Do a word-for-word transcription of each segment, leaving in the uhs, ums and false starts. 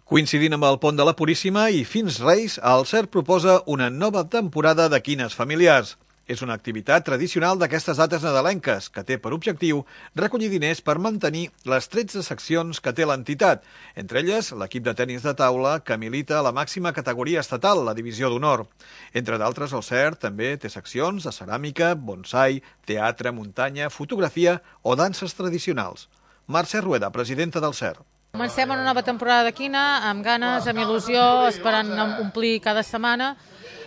Coincidint amb el pont de la Puríssima i fins Reis, el C E R proposa una nova temporada de quines familiars. És una activitat tradicional d'aquestes dates nadalenques que té per objectiu recollir diners per mantenir les tretze seccions que té l'entitat, entre elles l'equip de tenis de taula que milita a la màxima categoria estatal, la Divisió d'Honor. Entre d'altres, el C E R també té seccions de ceràmica, bonsai, teatre, muntanya, fotografia o danses tradicionals. Mercè Rueda, presidenta del C E R. Comencem una nova temporada de quina, amb ganes, amb il·lusió, esperant omplir cada setmana.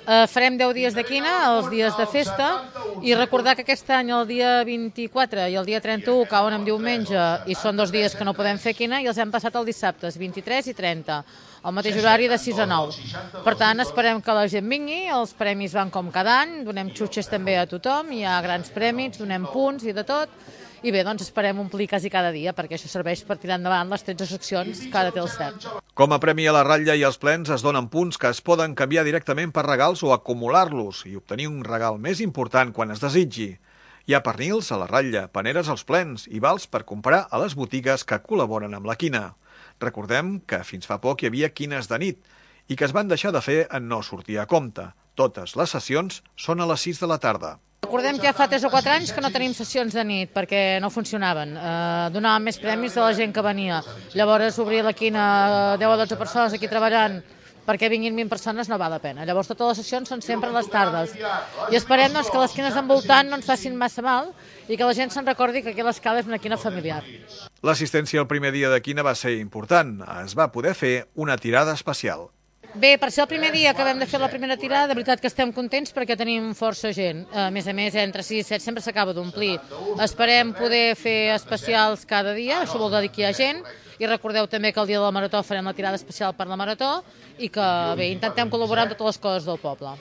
Eh, farem deu dies de quina, els dies de festa, i recordar que aquest any el dia vint-i-quatre i el dia trenta-u cauen en diumenge i són dos dies que no podem fer quina i els hem passat els dissabtes, vint-i-tres i trenta, al mateix horari de sis a nou. Per tant, esperem que la gent vingui, els premis van com cada any, donem xutxes també a tothom, hi ha grans premis, donem punts i de tot. I bé, doncs esperem omplir quasi cada dia, perquè això serveix per tirar endavant les tretze seccions que ara té el C E R. Com a premi a la ratlla i als plens es donen punts que es poden canviar directament per regals o acumular-los i obtenir un regal més important quan es desitgi. Hi ha pernils a la ratlla, paneres als plens i vals per comprar a les botigues que col·laboren amb la quina. Recordem que fins fa poc hi havia quines de nit i que es van deixar de fer en no sortir a compte. Totes les sessions són a les sis de la tarda. Recordem que ja fa tres o quatre anys que no tenim sessions de nit perquè no funcionaven. Eh, donàvem més premis de la gent que venia. Llavors obrir la quina a deu o dotze persones aquí treballant perquè vinguin vint persones no val la pena. Llavors totes les sessions són sempre a les tardes. I esperem doncs, que les quines envoltant no ens facin massa mal i que la gent se'n recordi que aquí a l'Escala és una quina familiar. L'assistència al primer dia de quina va ser important. Es va poder fer una tirada especial. Bé, per ser el primer dia que vam de fer la primera tirada, de veritat que estem contents perquè tenim força gent. A més a més, entre sis i set sempre s'acaba d'omplir. Esperem poder fer especials cada dia, això vol dir que hi ha gent, i recordeu també que el dia de la Marató farem la tirada especial per la Marató i que, bé, intentem col·laborar amb totes les coses del poble.